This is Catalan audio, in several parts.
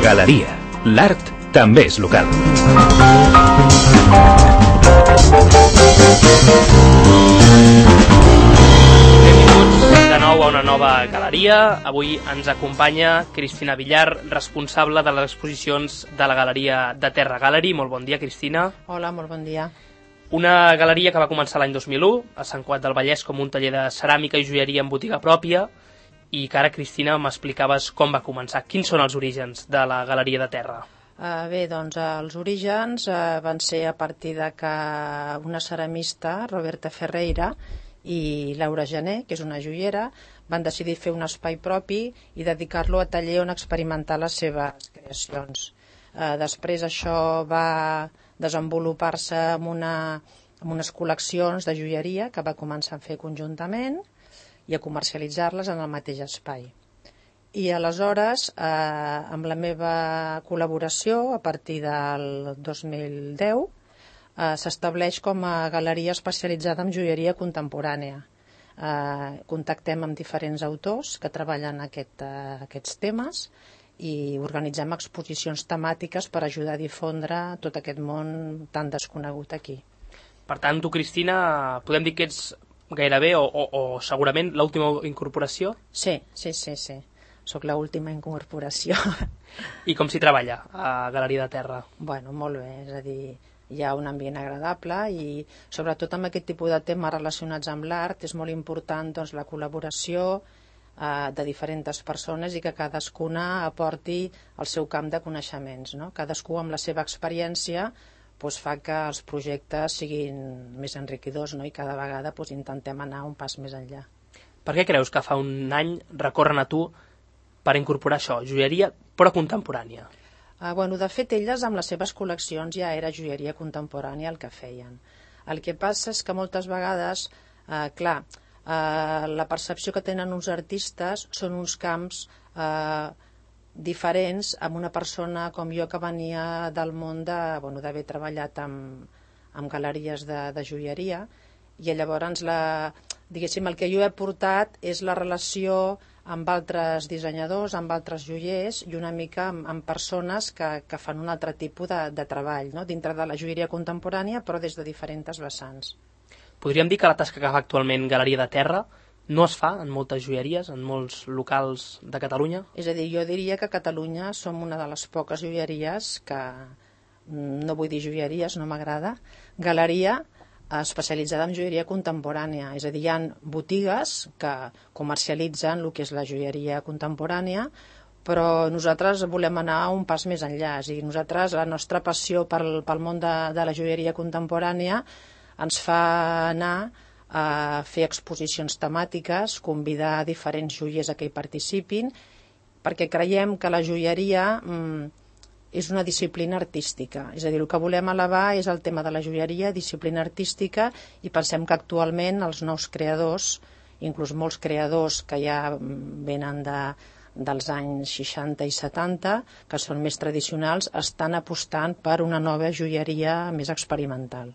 Galeria. L'art també és local. Benvinguts de nou a una nova galeria. Avui ens acompanya Cristina Villar, responsable de les exposicions de la Galeria de Terra Gallery. Molt bon dia, Cristina. Hola, molt bon dia. Una galeria que va començar l'any 2001 a Sant Cugat del Vallès com un taller de ceràmica i joieria en botiga pròpia, i que ara, Cristina, m'explicaves com va començar. Quins són els orígens de la Galeria de Terra? Bé, doncs els orígens van ser a partir de que una ceramista, Roberta Ferreira, i Laura Gené, que és una joiera, van decidir fer un espai propi i dedicar-lo a taller on experimentar les seves creacions. Després això va desenvolupar-se amb unes col·leccions de joieria que va començar a fer conjuntament i a comercialitzar-les en el mateix espai. I aleshores, amb la meva col·laboració, a partir del 2010, s'estableix com a galeria especialitzada en joieria contemporània. Contactem amb diferents autors que treballen aquests temes i organitzem exposicions temàtiques per ajudar a difondre tot aquest món tan desconegut aquí. Per tant, tu, Cristina, podem dir que ets gairebé o segurament l'última incorporació? Sí. Soc l'última incorporació. I com s'hi treballa a Galeria de Terra? Bueno, molt bé, és a dir, hi ha un ambient agradable i sobretot amb aquest tipus de temes relacionats amb l'art és molt important doncs, la col·laboració de diferents persones i que cadascuna aporti el seu camp de coneixements, no? Cadascú amb la seva experiència doncs, fa que els projectes siguin més enriquidors, no? I cada vegada doncs, intentem anar un pas més enllà. Per què creus que fa un any recorren a tu per incorporar això, joieria però contemporània? De fet, elles amb les seves col·leccions ja era joieria contemporània el que feien. El que passa és que moltes vegades, la percepció que tenen uns artistes són uns camps diferents amb una persona com jo que venia del món d'haver treballat amb galeries de joieria, i llavors el que jo he portat és la relació amb altres dissenyadors, amb altres joiers i una mica amb persones que fan un altre tipus de treball, no? Dintre de la joieria contemporània però des de diferents vessants. Podríem dir que la tasca que fa actualment Galeria de Terra no es fa en moltes joieries, en molts locals de Catalunya? És a dir, jo diria que a Catalunya som una de les poques joieries que, no vull dir joieries, no m'agrada, galeria especialitzada en joieria contemporània. És a dir, hi ha botigues que comercialitzen el que és la joieria contemporània, però nosaltres volem anar un pas més enllà. És a dir, nosaltres, la nostra passió pel món de la joieria contemporània ens fa anar a fer exposicions temàtiques, convidar diferents joiers a que hi participin, perquè creiem que la joieria és una disciplina artística. És a dir, el que volem elevar és el tema de la joieria, disciplina artística, i pensem que actualment els nous creadors, inclús molts creadors que ja venen dels anys 60 i 70, que són més tradicionals, estan apostant per una nova joieria més experimental.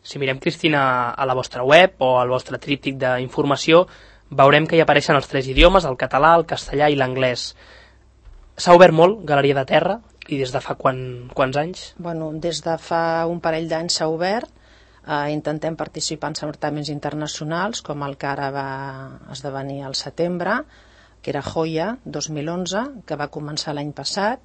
Si mirem, Cristina, a la vostra web o al vostre tríptic d'informació, veurem que hi apareixen els 3 idiomes, el català, el castellà i l'anglès. S'ha obert molt Galeria de Terra, i des de fa quants anys? Des de fa un parell d'anys s'ha obert. Intentem participar en certàmens internacionals, com el que ara va esdevenir al setembre, que era Joia 2011, que va començar l'any passat,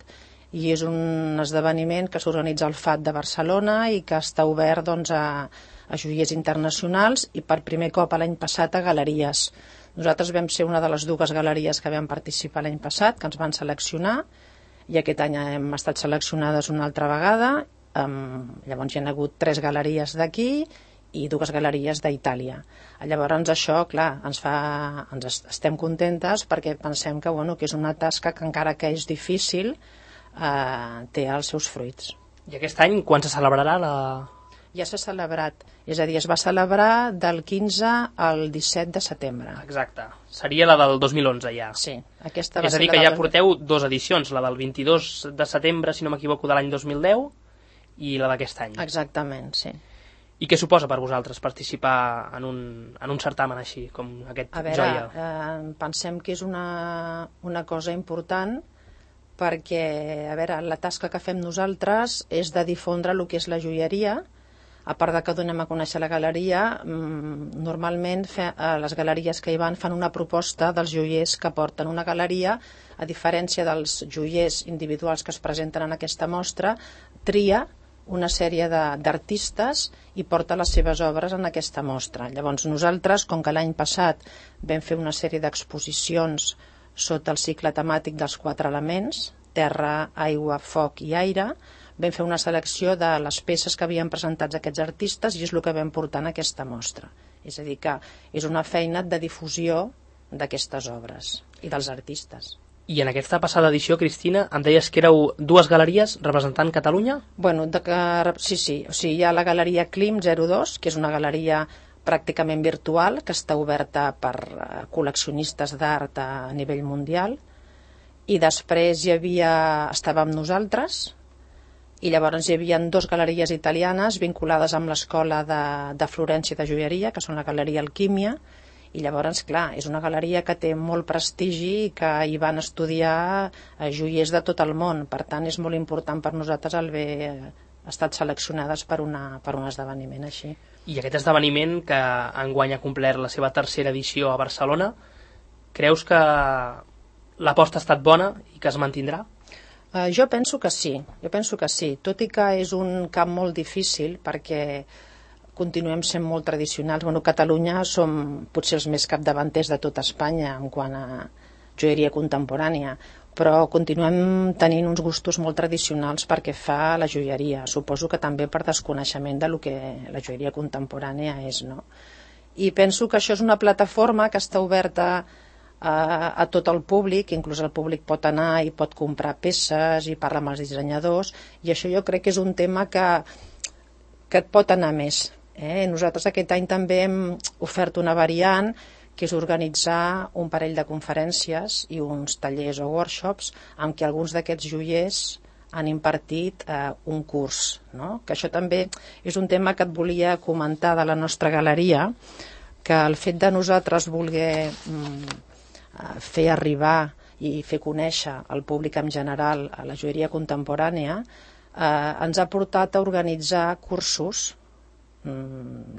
i és un esdeveniment que s'organitza al FAT de Barcelona i que està obert a joiers internacionals i per primer cop l'any passat a galeries. Nosaltres vam ser una de les 2 galeries que vam participar l'any passat, que ens van seleccionar, i aquest any hem estat seleccionades una altra vegada. Llavors hi ha hagut 3 galeries d'aquí i 2 galeries d'Itàlia. Llavors això, clar, estem contentes perquè pensem que és una tasca que encara que és difícil té els seus fruits. I aquest any quan se celebrarà Ja s'ha celebrat, és a dir, es va celebrar del 15 al 17 de setembre. Exacte, seria la del 2011 ja. Sí, aquesta va ser la del... És a dir, que ja porteu 2 edicions, la del 22 de setembre, si no m'equivoco, de l'any 2010 i la d'aquest any. Exactament, sí. I què suposa per vosaltres participar en un certamen així, com aquest Joia? Pensem que és una cosa important perquè, a veure, la tasca que fem nosaltres és de difondre el que és la joieria. A part de que donem a conèixer la galeria, normalment les galeries que hi van fan una proposta dels joiers que porten una galeria, a diferència dels joiers individuals que es presenten en aquesta mostra, tria una sèrie d'artistes i porta les seves obres en aquesta mostra. Llavors nosaltres, com que l'any passat vam fer una sèrie d'exposicions sota el cicle temàtic dels 4 elements, terra, aigua, foc i aire, vam fer una selecció de les peces que havien presentat aquests artistes i és el que vam portar en aquesta mostra. És a dir, que és una feina de difusió d'aquestes obres i dels artistes. I en aquesta passada edició, Cristina, em deies que éreu 2 galeries representant Catalunya? Bueno, sí. O sigui, hi ha la galeria Klim 02, que és una galeria pràcticament virtual, que està oberta per col·leccionistes d'art a nivell mundial, i després estàvem nosaltres, i llavors hi havia 2 galeries italianes vinculades amb l'escola de Florència de joieria, que són la galeria Alquímia, i llavors, clar, és una galeria que té molt prestigi i que hi van estudiar joiers de tot el món. Per tant, és molt important per nosaltres haver estat seleccionades per un esdeveniment així. I aquest esdeveniment, que enguany ha complert la seva 3a edició a Barcelona, creus que l'aposta ha estat bona i que es mantindrà? Jo penso que sí, tot i que és un camp molt difícil perquè continuem sent molt tradicionals. Bueno, Catalunya som potser els més capdavanters de tot Espanya en quant a joieria contemporània, però continuem tenint uns gustos molt tradicionals perquè fa la joieria. Suposo que també per desconeixement del que la joieria contemporània és, no? I penso que això és una plataforma que està oberta a tot el públic, inclús el públic pot anar i pot comprar peces i parlar amb els dissenyadors, i això jo crec que és un tema que et pot anar més. Nosaltres aquest any també hem ofert una variant, que és organitzar un parell de conferències i uns tallers o workshops en què alguns d'aquests joiers han impartit un curs, no? Que això també és un tema que et volia comentar de la nostra galeria, que el fet de nosaltres voler fer arribar i fer conèixer al públic en general a la joieria contemporània ens ha portat a organitzar cursos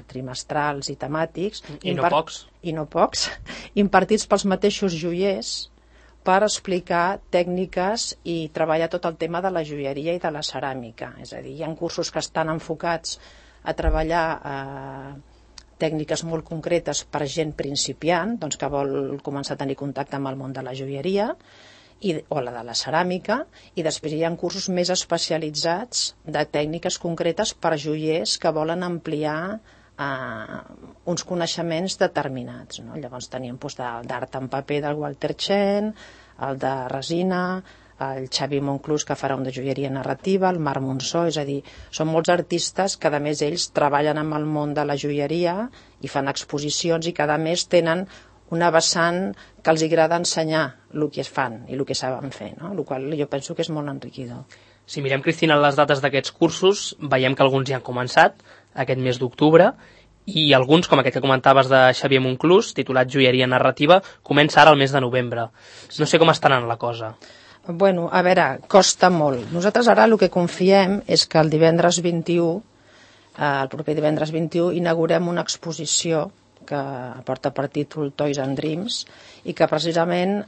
trimestrals i temàtics i no pocs impartits pels mateixos joiers per explicar tècniques i treballar tot el tema de la joieria i de la ceràmica. És a dir, hi ha cursos que estan enfocats a treballar tècniques molt concretes per gent principiant, doncs que vol començar a tenir contacte amb el món de la joieria o la de la ceràmica, i després hi ha cursos més especialitzats de tècniques concretes per joiers que volen ampliar uns coneixements determinats, no? Llavors teníem d'art en paper del Walter Chen, el de resina, el Xavi Monclús, que farà un de joieria narrativa, el Marc Monsó, és a dir, són molts artistes que a més ells treballen amb el món de la joieria i fan exposicions i cada mes tenen una vessant que els agrada ensenyar el que es fan i el que saben fer, no? El qual jo penso que és molt enriquidor. Si mirem, Cristina, les dates d'aquests cursos, veiem que alguns ja han començat aquest mes d'octubre i alguns, com aquest que comentaves de Xavier Monclús, titulat Joieria narrativa, comença ara el mes de novembre. No sé com estarà la cosa. Bueno, a veure, costa molt. Nosaltres ara el que confiem és que el divendres 21, el proper divendres 21, inaugurem una exposició que porta per títol Toys and Dreams i que precisament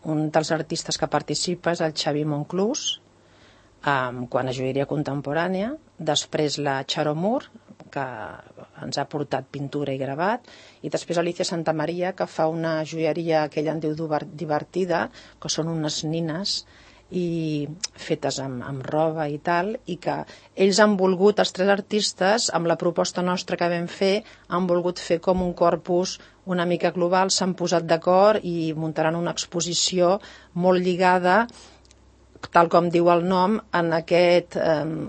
un dels artistes que participa és el Xavi Monclús, quant a joieria contemporània, després la Charo Moore, que ens ha portat pintura i gravat, i després Alicia Santamaria, que fa una joieria que ella en diu divertida, que són unes nines i fetes amb roba i tal, i que ells han volgut, els 3 artistes, amb la proposta nostra que vam fer, han volgut fer com un corpus una mica global, s'han posat d'acord i muntaran una exposició molt lligada, tal com diu el nom, en aquest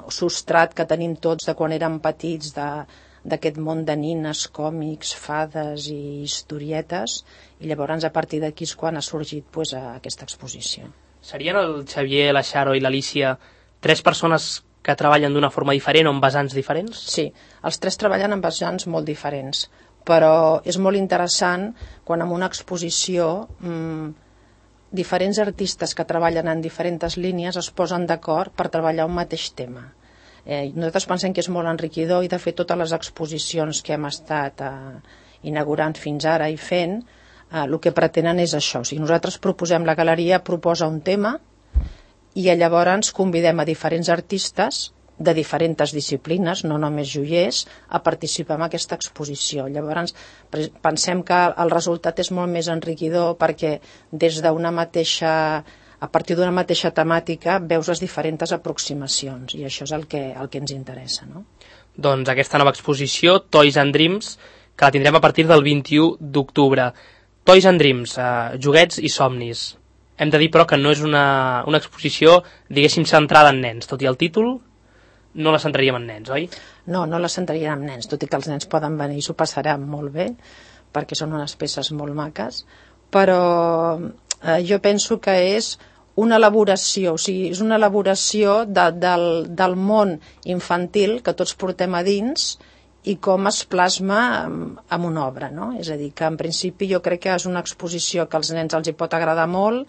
substrat que tenim tots de quan érem petits, d'aquest món de nines, còmics, fades i historietes, i llavors a partir d'aquí és quan ha sorgit aquesta exposició. Serien el Xavier, la Charo i l'Alicia 3 persones que treballen d'una forma diferent o amb vessants diferents? Sí, els 3 treballen amb vessants molt diferents, però és molt interessant quan en una exposició diferents artistes que treballen en diferents línies es posen d'acord per treballar un mateix tema. Nosaltres pensem que és molt enriquidor i de fet totes les exposicions que hem estat inaugurant fins ara i fent, el que pretenen és això. O sigui, nosaltres proposem, la galeria proposa un tema i llavors convidem a diferents artistes de diferents disciplines, no només joiers, a participar en aquesta exposició. Llavors pensem que el resultat és molt més enriquidor perquè des d'una mateixa, a partir d'una mateixa temàtica veus les diferents aproximacions i això és el que ens interessa, no? Doncs aquesta nova exposició, Toys and Dreams, que la tindrem a partir del 21 d'octubre. Toys and Dreams, joguets i somnis. Hem de dir, però, que no és una exposició, diguéssim, centrada en nens, tot i el títol no la centraríem en nens, oi? No, no la centraríem en nens, tot i que els nens poden venir i s'ho passaran molt bé, perquè són unes peces molt maques, però jo penso que és una elaboració, o sigui, és una elaboració del món infantil que tots portem a dins i com es plasma en una obra, no? És a dir, que en principi jo crec que és una exposició que als nens els hi pot agradar molt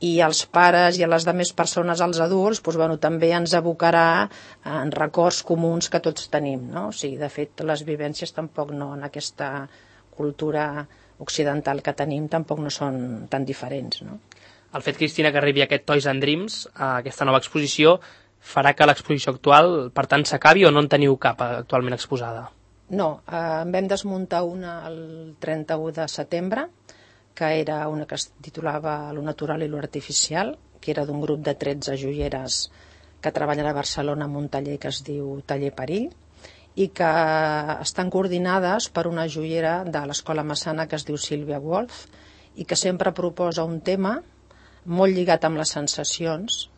i als pares i a les altres persones, als adults, doncs, bueno, també ens abocarà en records comuns que tots tenim, no? O sigui, de fet, les vivències tampoc no, en aquesta cultura occidental que tenim, tampoc no són tan diferents, no? El fet, Cristina, que arribi aquest Toys and Dreams, aquesta nova exposició, farà que l'exposició actual, per tant, s'acabi o no en teniu cap actualment exposada? No, en vam desmuntar una el 31 de setembre, que era una que es titulava Lo natural i lo artificial, que era d'un grup de 13 joieres que treballen a Barcelona en un taller que es diu Taller Perill, i que estan coordinades per una joiera de l'Escola Massana que es diu Sílvia Wolf i que sempre proposa un tema molt lligat amb les sensacions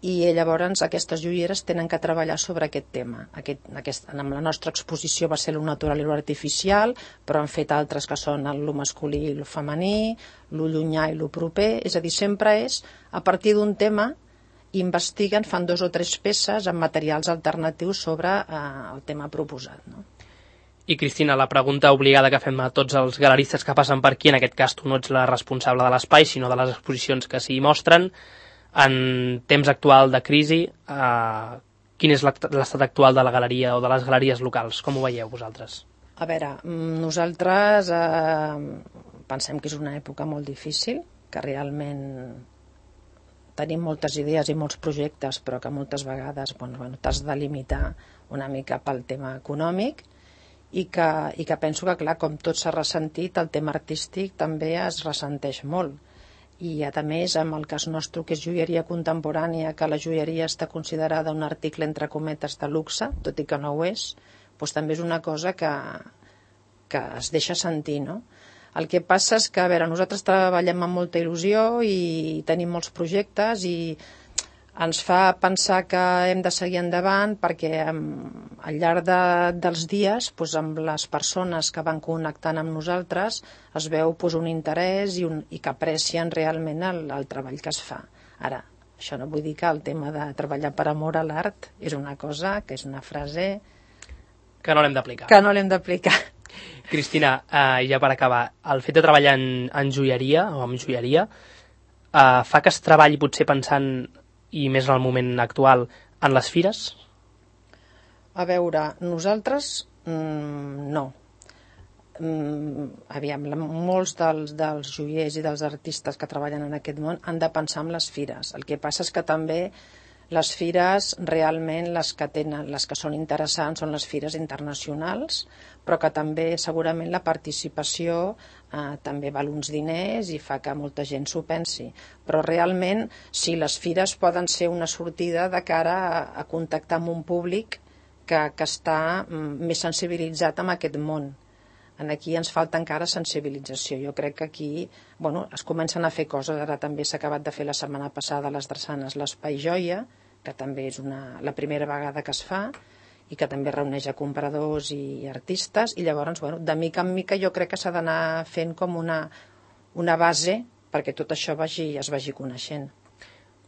i llavors aquestes joieres tenen que treballar sobre aquest tema. En la nostra exposició va ser lo natural i lo artificial, però han fet altres que són lo masculí i lo femení, lo llunyà i lo proper, és a dir, sempre és a partir d'un tema, investiguen, fan 2 o 3 peces amb materials alternatius sobre el tema proposat, no? I Cristina, la pregunta obligada que fem a tots els galeristes que passen per aquí, en aquest cas tu no ets la responsable de l'espai, sinó de les exposicions que s'hi mostren, en temps actual de crisi, quin és l'estat actual de la galeria o de les galeries locals? Com ho veieu vosaltres? A veure, nosaltres pensem que és una època molt difícil, que realment tenim moltes idees i molts projectes, però que moltes vegades t'has de limitar una mica pel tema econòmic i que penso que, clar, com tot s'ha ressentit, el tema artístic també es ressenteix molt. I, a més, amb el cas nostre, que és joieria contemporània, que la joieria està considerada un article, entre cometes, de luxe, tot i que no ho és, doncs també és una cosa que es deixa sentir, no? El que passa és que, a veure, nosaltres treballem amb molta il·lusió i tenim molts projectes i ens fa pensar que hem de seguir endavant perquè al llarg dels dies, doncs, amb les persones que van connectant amb nosaltres, es veu un interès i que aprecien realment el treball que es fa. Ara, això no vull dir que el tema de treballar per amor a l'art és una cosa, que és una frase que no l'hem d'aplicar. Que no l'hem d'aplicar. Cristina, ja per acabar, el fet de treballar en joieria o amb joieria fa que es treballi potser pensant, i més en el moment actual, en les fires? A veure, nosaltres no. Aviam, molts dels joiers i dels artistes que treballen en aquest món han de pensar en les fires. El que passa és que també les fires realment les que són interessants són les fires internacionals, però que també segurament la participació també val uns diners i fa que molta gent s'ho pensi. Però realment sí, les fires poden ser una sortida de cara a contactar amb un públic que està més sensibilitzat amb aquest món. Aquí ens falta encara sensibilització. Jo crec que aquí es comencen a fer coses. Ara també s'ha acabat de fer la setmana passada a les Drassanes l'Espai Joia, que també és la primera vegada que es fa i que també reuneix a compradors i artistes, i llavors, de mica en mica jo crec que s'ha d'anar fent com una base perquè tot això es vagi coneixent.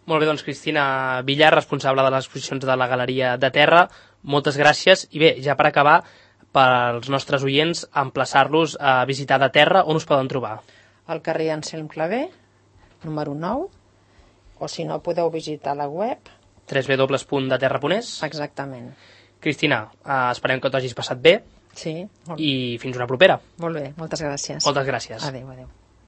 Molt bé, doncs Cristina Villar, responsable de les exposicions de la Galeria de Terra, moltes gràcies. I bé, ja per acabar, pels nostres oients, emplaçar-los a visitar de Terra. On us poden trobar? Al carrer Anselm Clavé, número 9, o si no podeu visitar la web. www.deterra.es. Exactament. Cristina, esperem que t'ho hagis passat bé. Sí. I fins una propera. Molt bé, moltes gràcies. Moltes gràcies. Adéu, adéu.